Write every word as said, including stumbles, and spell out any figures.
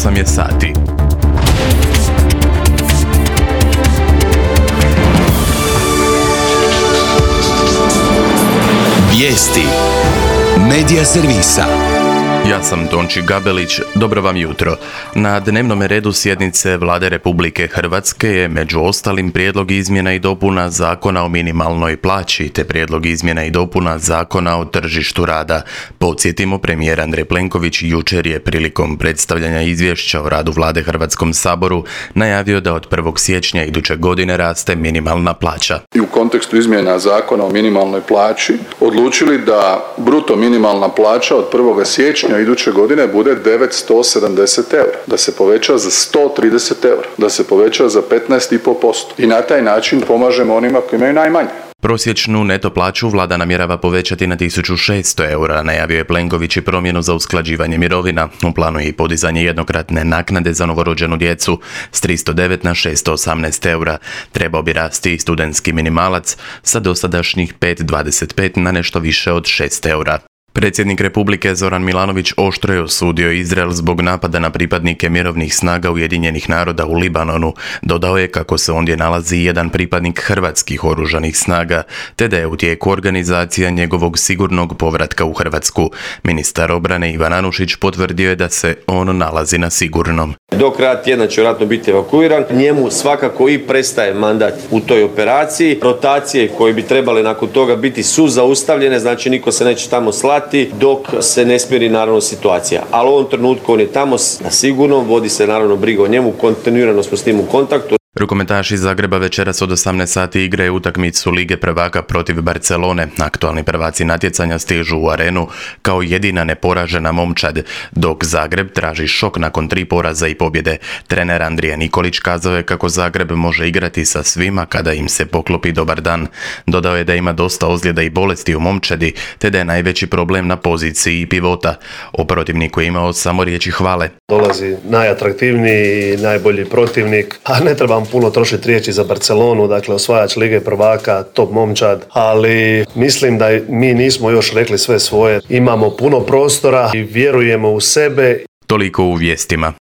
osam je sati. Vijesti Medija servisa. Ja sam Tonči Gabelić, dobro vam jutro. Na dnevnom redu sjednice Vlade Republike Hrvatske je među ostalim prijedlog izmjena i dopuna Zakona o minimalnoj plaći te prijedlog izmjena i dopuna Zakona o tržištu rada. Podsjetimo, premijer Andrej Plenković jučer je prilikom predstavljanja izvješća o radu Vlade Hrvatskom saboru najavio da od prvog siječnja iduće godine raste minimalna plaća. I u kontekstu izmjena Zakona o minimalnoj plaći odlučili da bruto minimalna plaća od prvog siječnja iduće godine bude devetsto sedamdeset eura, da se poveća za sto trideset eura, da se poveća za petnaest zarez pet posto i na taj način pomažemo onima koji imaju najmanje. Prosječnu neto plaću vlada namjerava povećati na tisuću šesto eura, najavio je Plenković i promjenu za usklađivanje mirovina. U planu je i podizanje jednokratne naknade za novorođenu djecu s tristo devet na šesto osamnaest eura. Trebao bi rasti i studentski minimalac sa dosadašnjih pet zarez dvadeset pet na nešto više od šest eura. Predsjednik Republike Zoran Milanović oštro je osudio Izrael zbog napada na pripadnike mirovnih snaga Ujedinjenih naroda u Libanonu. Dodao je kako se ondje nalazi jedan pripadnik hrvatskih oružanih snaga, te da je u tijeku organizacija njegovog sigurnog povratka u Hrvatsku. Ministar obrane Ivan Anušić potvrdio je da se on nalazi na sigurnom. Do kraja tjedna će vjerojatno biti evakuiran. Njemu svakako i prestaje mandat u toj operaciji. Rotacije koje bi trebale nakon toga biti su zaustavljene, znači niko se neće tamo slati dok se ne smiri naravno situacija. Ali u ovom trenutku on je tamo na sigurnom, vodi se naravno briga o njemu, kontinuirano smo s njim u kontaktu. Rukometaši iz Zagreba večeras od osamnaest sati igraju utakmicu Lige prvaka protiv Barcelone. Aktualni prvaci natjecanja stižu u arenu kao jedina neporažena momčad, dok Zagreb traži šok nakon tri poraza i pobjede. Trener Andrija Nikolić kazao je kako Zagreb može igrati sa svima kada im se poklopi dobar dan. Dodao je da ima dosta ozljeda i bolesti u momčadi, te da je najveći problem na poziciji pivota. O protivniku je imao samo riječi hvale. Dolazi najatraktivniji i najbolji protivnik, a ne trebam puno trošiti riječi za Barcelonu, dakle osvajač Lige prvaka, top momčad, ali mislim da mi nismo još rekli sve svoje. Imamo puno prostora i vjerujemo u sebe. Toliko u vijestima.